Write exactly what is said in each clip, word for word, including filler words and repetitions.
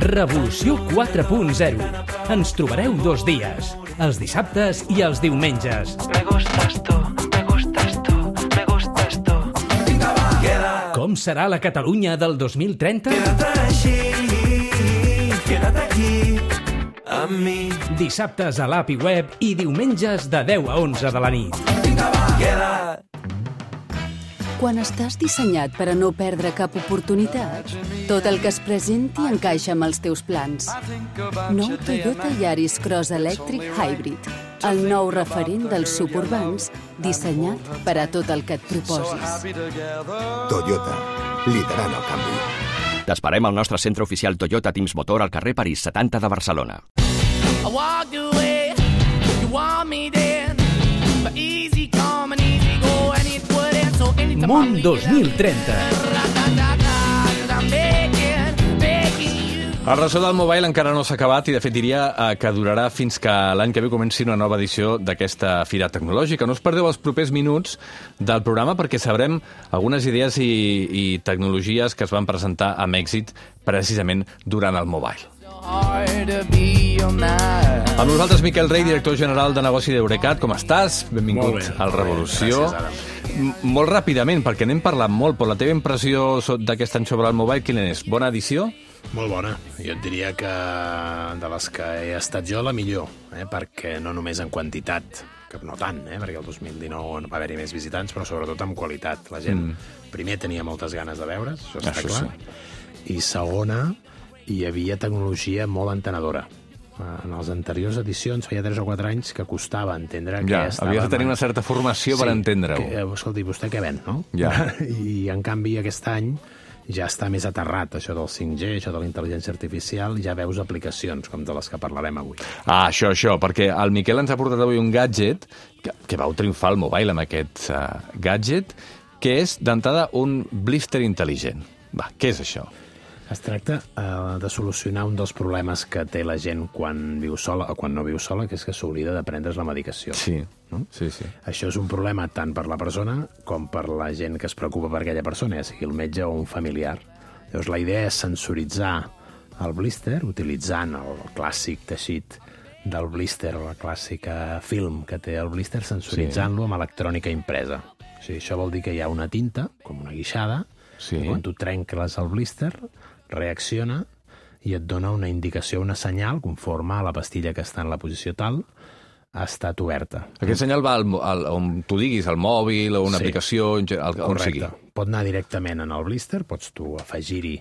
Revolució quatre punt zero. Ens trobareu dos dies, els dissabtes i els diumenges. Me gustas tú, me gustas tú, me gustas tú. Com serà la Catalunya del dos mil trenta? Quédate així, quédate aquí, amb mi. Dissabtes a l'A P I Web i diumenges de deu a onze de la nit. Queda. Quan estàs dissenyat per a no perdre cap oportunitat, tot el que es presenti encaixa amb els teus plans. Nou Toyota Yaris Cross Electric Hybrid, el nou referent dels suburbans, dissenyat per a tot el que et proposis. Toyota, liderant el canvi. T'esperem al nostre centre oficial Toyota Teams Motor al carrer París setanta de Barcelona. I walked away, you want me then, but easy come and easy go, and it wouldn't, so anytime Món dos mil trenta. El ressò del mobile encara no s'ha acabat i, de fet, diria eh, que durarà fins que l'any que ve comenci una nova edició d'aquesta fira tecnològica. No us perdeu els propers minuts del programa perquè sabrem algunes idees i, i tecnologies que es van presentar amb èxit precisament durant el mobile. Amb nosaltres, Miquel Rey, director general de negoci d'Eurecat. Com estàs? Benvingut al Revolució. M- molt ràpidament, perquè n'hem parlat molt, però la teva impressió so- d'aquest any sobre el mobile, quina és? Bona edició? Molt bona. Jo et diria que de les que he estat jo, la millor, eh? Perquè no només en quantitat, que no tant, eh? Perquè el dos mil dinou no va haver-hi més visitants, però sobretot en qualitat. La gent, mm. primer, tenia moltes ganes de veure's, això està Això clar, sí. i segona, hi havia tecnologia molt entenedora. En les anteriors edicions, feia tres o quatre anys, que costava entendre Ja, què estava... havies de tenir una certa formació per entendre-ho. Que, eh, escolti, vostè què ven, no? Ja. I, en canvi, aquest any ja està més aterrat, això del cinc G, això de la intel·ligència artificial, ja veus aplicacions, com de les que parlarem avui. Ah, això, això, perquè el Miquel ens ha portat avui un gadget que, que vau triomfar al mobile amb aquest uh, gadget, que és, d'entrada, un blister intel·ligent. Va, què és això? Es tracta uh, de solucionar un dels problemes que té la gent quan viu sola o quan no viu sola, que és que s'oblida de prendre's la medicació. Sí, no? sí, sí. Això és un problema tant per la persona com per la gent que es preocupa per aquella persona, ja sigui el metge o un familiar. Llavors, la idea és sensoritzar el blister utilitzant el clàssic teixit del blister, la clàssica film que té el blister, sensoritzant-lo amb electrònica impresa. O sigui, això vol dir que hi ha una tinta, com una guixada, Sí. i quan tu trenques el blister, reacciona i et dona una indicació, una senyal, conforme a la pastilla que està en la posició tal, ha estat oberta. Aquest senyal va al, al, on tu diguis, al mòbil o una Sí. aplicació, al, on sigui. Correcte. Pot anar directament en el blister, pots tu afegir-hi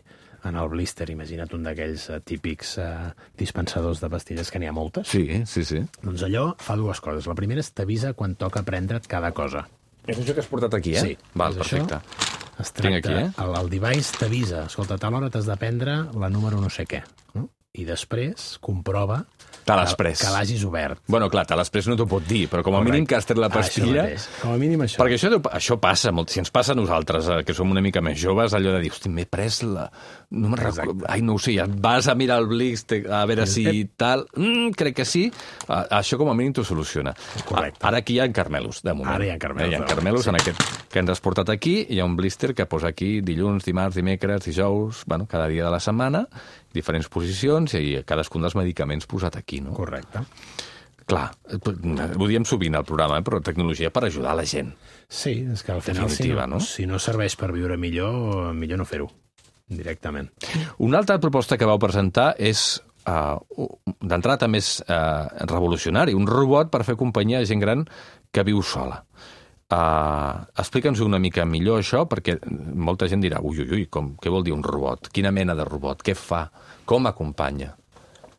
en el blister, imagina't un d'aquells uh, típics uh, dispensadors de pastilles, que n'hi ha moltes. Sí, sí, sí. Doncs allò fa dues coses. La primera és t'avisa quan toca prendre't cada cosa. És això que has portat aquí, eh? Sí. Val, És perfecte. Això. Es Tinc tracta, aquí, eh? el, el device t'avisa, escolta, a tal hora t'has de prendre la número no sé què, no? I després comprova Te que, l'has pres. que l'hagis obert. Bueno, clar, te després no t'ho pot dir, però com a Correcte. mínim que has tret la Ah, això pastilla... mateix. Com a mínim això. Perquè això, deu- això passa, molt, si ens passa a nosaltres, eh, que som una mica més joves, allò de dir, hosti, m'he pres la... No me'n Exacte. recordo... Ai, no ho sé, ja vas a mirar el blister, a veure si tal... Mm, crec que sí. Ah, això com a mínim t'ho soluciona. Correcte. Ah, ara aquí hi ha carmelos, de moment. Ara hi ha carmelos, Eh, Hi ha de moment, carmelos sí. en aquest que ens has portat aquí. Hi ha un blister que posa aquí dilluns, dimarts, dimecres, dijous, bueno, cada dia de la setmana, diferents posicions i cadascun dels medicaments posat aquí, no? Correcte. Clar, ho diem sovint al programa, eh? Però tecnologia per ajudar la gent. Sí, és que al final, si Definitiva, no, no? si no serveix per viure millor, millor no fer-ho directament. Una altra proposta que vau presentar és, uh, d'entrada també és uh, revolucionari, un robot per fer companyia a gent gran que viu sola. Uh, Explica'ns una mica millor això, perquè molta gent dirà, ui, ui, ui, com, què vol dir un robot? Quina mena de robot? Què fa? Com acompanya?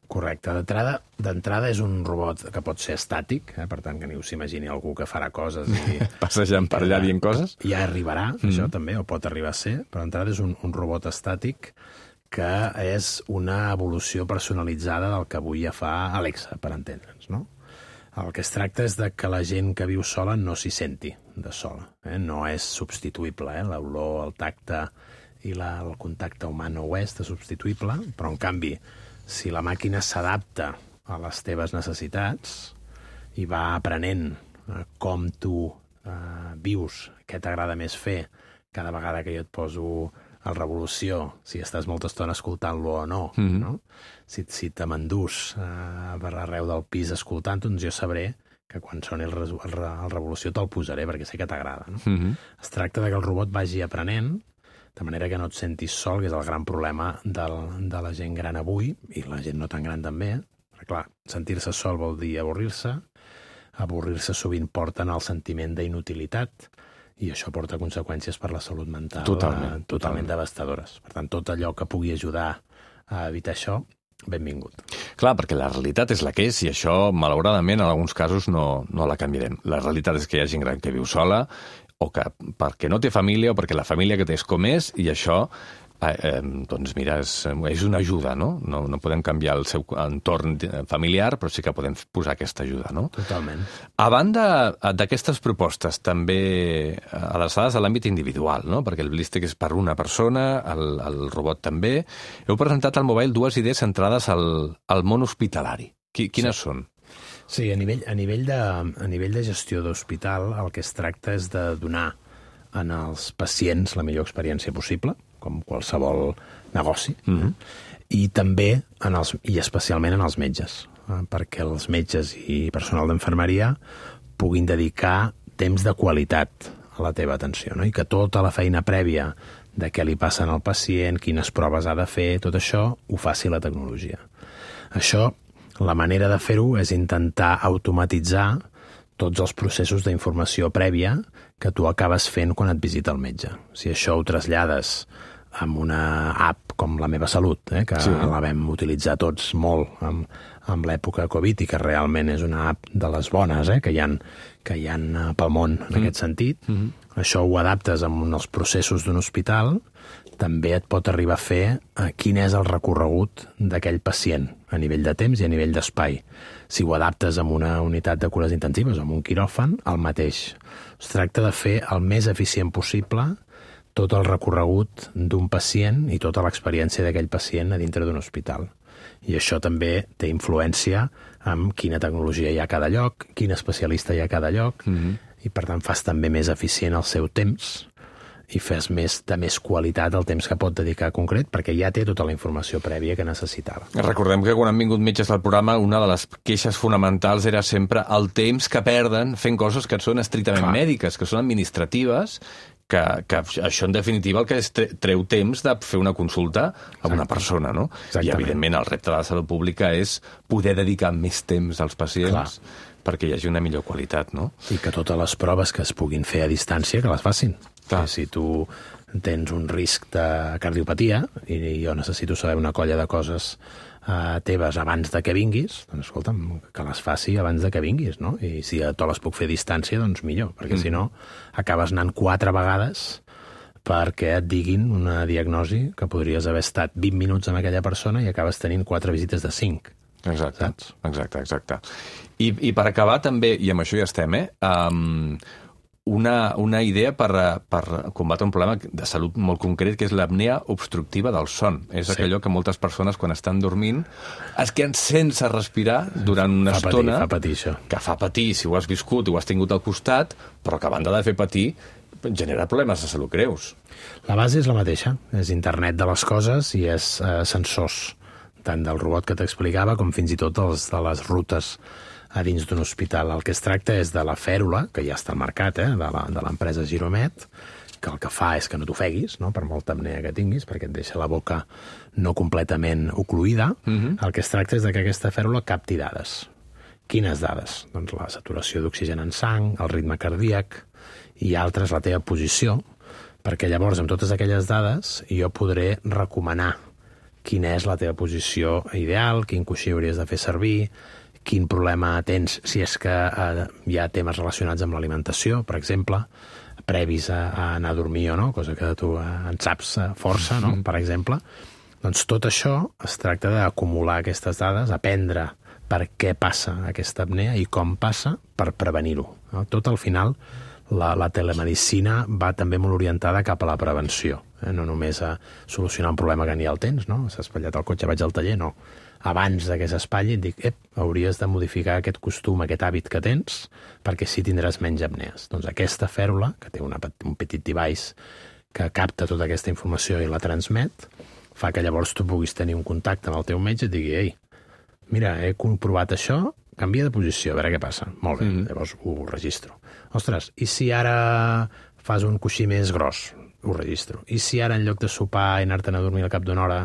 Correcte. D'entrada, d'entrada és un robot que pot ser estàtic, eh? Per tant, que ni us imagini algú que farà coses i... Passejant per allà dient coses? Ja arribarà, mm. això també, o pot arribar a ser, però d'entrada és un, un robot estàtic que és una evolució personalitzada del que avui ja fa Alexa, per entendre'ns, no? El que es tracta és de que la gent que viu sola no s'hi senti de sola. Eh? No és substituïble, eh? L'olor, el tacte i la, el contacte humà no ho és, de substituïble, però en canvi, si la màquina s'adapta a les teves necessitats i va aprenent eh, com tu eh, vius, què t'agrada més fer, cada vegada que jo et poso el Revolució, si estàs molta estona escoltant-lo o no, Mhm. no? Si, si te m'endús eh, per arreu del pis escoltant-ho, doncs jo sabré que quan soni el, resu- el, re- el Revolució te'l posaré, perquè sé que t'agrada. No? Mhm. Es tracta de que el robot vagi aprenent, de manera que no et sentis sol, que és el gran problema del, de la gent gran avui, i la gent no tan gran també. Perquè, clar, sentir-se sol vol dir avorrir-se, avorrir-se sovint porten al sentiment d'inutilitat, i això porta conseqüències per la salut mental Totalment, eh, totalment devastadores. Per tant, tot allò que pugui ajudar a evitar això, benvingut. Clar, perquè la realitat és la que és i això, malauradament, en alguns casos no, no la canviarem. La realitat és que hi ha gent gran que viu sola o que perquè no té família o perquè la família que té és com és i això, eh, eh, doncs mira, és, és una ajuda, no? no? No podem canviar el seu entorn familiar, però sí que podem posar aquesta ajuda, no? Totalment. A banda d'aquestes propostes també adreçades a l'àmbit individual, no? Perquè el Blístic és per una persona, el, el robot també, heu presentat al Mobile dues idees centrades al, al món hospitalari. Qui, quines sí. són? Sí, a nivell, a nivell, de, a nivell de gestió d'hospital el que es tracta és de donar en els pacients la millor experiència possible, com qualsevol negoci, Mhm. i també, en els, i especialment en els metges, eh, perquè els metges i personal d'infermeria puguin dedicar temps de qualitat a la teva atenció, no? I que tota la feina prèvia de què li passa al pacient, quines proves ha de fer, tot això ho faci la tecnologia. Això, la manera de fer-ho és intentar automatitzar tots els processos d'informació prèvia que tu acabes fent quan et visita el metge. Si això ho trasllades amb una app com La Meva Salut, eh, que Sí. sí. la vam utilitzar tots molt amb, amb l'època Covid i que realment és una app de les bones eh, que hi ha, que hi ha pel món en mm. aquest sentit, mm -hmm. això ho adaptes amb els processos d'un hospital, també et pot arribar a fer eh, quin és el recorregut d'aquell pacient a nivell de temps i a nivell d'espai. Si ho adaptes amb una unitat de cures intensives o amb un quiròfan, el mateix. Es tracta de fer el més eficient possible tot el recorregut d'un pacient i tota l'experiència d'aquell pacient a dintre d'un hospital. I això també té influència en quina tecnologia hi ha a cada lloc, quin especialista hi ha a cada lloc, Mhm. i per tant fas també més eficient el seu temps i fes més de més qualitat el temps que pot dedicar concret, perquè ja té tota la informació prèvia que necessitava. Recordem que quan han vingut metges al programa, una de les queixes fonamentals era sempre el temps que perden fent coses que són estrictament Clar. mèdiques, que són administratives, que, que això en definitiva el que és tre- treu temps de fer una consulta a una persona, no? I Exactament. evidentment el repte de la salut pública és poder dedicar més temps als pacients Clar. perquè hi hagi una millor qualitat, no? I que totes les proves que es puguin fer a distància, que les facin. Clar. Si tu tens un risc de cardiopatia i jo necessito saber una colla de coses eh, teves abans de que vinguis, doncs escolta'm, que les faci abans de que vinguis, no? I si te les puc fer a distància, doncs millor, perquè mm. si no acabes anant quatre vegades perquè et diguin una diagnosi que podries haver estat vint minuts amb aquella persona i acabes tenint quatre visites de cinc. Exacte, Saps? exacte, exacte. I, I per acabar també, i amb això ja estem, eh, um, una, una idea per, per combatre un problema de salut molt concret, que és l'apnea obstructiva del son. És Sí. sí. allò que moltes persones, quan estan dormint, es queden sense respirar durant una Fa patir, estona, fa patir això. que fa patir si ho has viscut i ho has tingut al costat, però que a banda de fer patir, genera problemes de salut greus. La base és la mateixa, és internet de les coses i és eh, sensors, tant del robot que t'explicava com fins i tot els, de les rutes a dins d'un hospital. El que es tracta és de la fèrula, que ja està al mercat, eh, de l'empresa Giromet, que el que fa és que no t'ofeguis, no?, per molta apnea que tinguis, perquè et deixa la boca no completament ocluïda. Mhm. El que es tracta és de que aquesta fèrula capti dades. Quines dades? Doncs la saturació d'oxigen en sang, el ritme cardíac i altres, la teva posició, perquè llavors amb totes aquelles dades jo podré recomanar quina és la teva posició ideal, quin coixí hauries de fer servir, quin problema tens si és que eh, hi ha temes relacionats amb l'alimentació, per exemple, previs a, a anar a dormir o no, cosa que tu eh, en saps eh, força, no?, per exemple. Doncs tot això es tracta d'acumular aquestes dades, aprendre per què passa aquesta apnea i com passa per prevenir-ho, no? Tot al final la, la telemedicina va també molt orientada cap a la prevenció, eh? No només a solucionar un problema que ni el tens, no? S'ha espatllat el cotxe, vaig al taller, no. Abans de que s'espatlli et dic, ep, hauries de modificar aquest costum, aquest hàbit que tens, perquè sí tindràs menys apnees. Doncs aquesta fèrula, que té una, un petit device que capta tota aquesta informació i la transmet, fa que llavors tu puguis tenir un contacte amb el teu metge i et digui, ei, mira, he comprovat això, canvia de posició, a veure què passa. Molt bé, mm-hmm. llavors ho registro. Ostres, i si ara fas un coixí més gros? Ho registro. I si ara en lloc de sopar i anar-te'n a dormir al cap d'una hora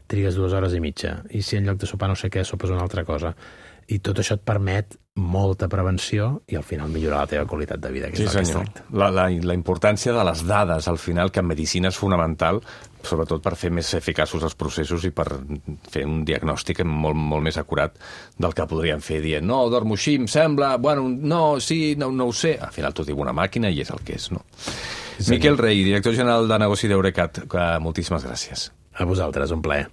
trigues dues hores i mitja? I si en lloc de sopar no sé què, sopes una altra cosa? I tot això et permet molta prevenció i al final millorar la teva qualitat de vida, que sí, és el senyor. que es tracta. La, la, la importància de les dades, al final, que en medicina és fonamental, sobretot per fer més eficaços els processos i per fer un diagnòstic molt, molt més acurat del que podríem fer dient, no, dormo així, em sembla, bueno, no, sí, no, no ho sé. Al final t'ho diu una màquina i és el que és, no? Sí, Miquel Rey, director general de negoci d'Eurecat, moltíssimes gràcies. A vosaltres, un plaer.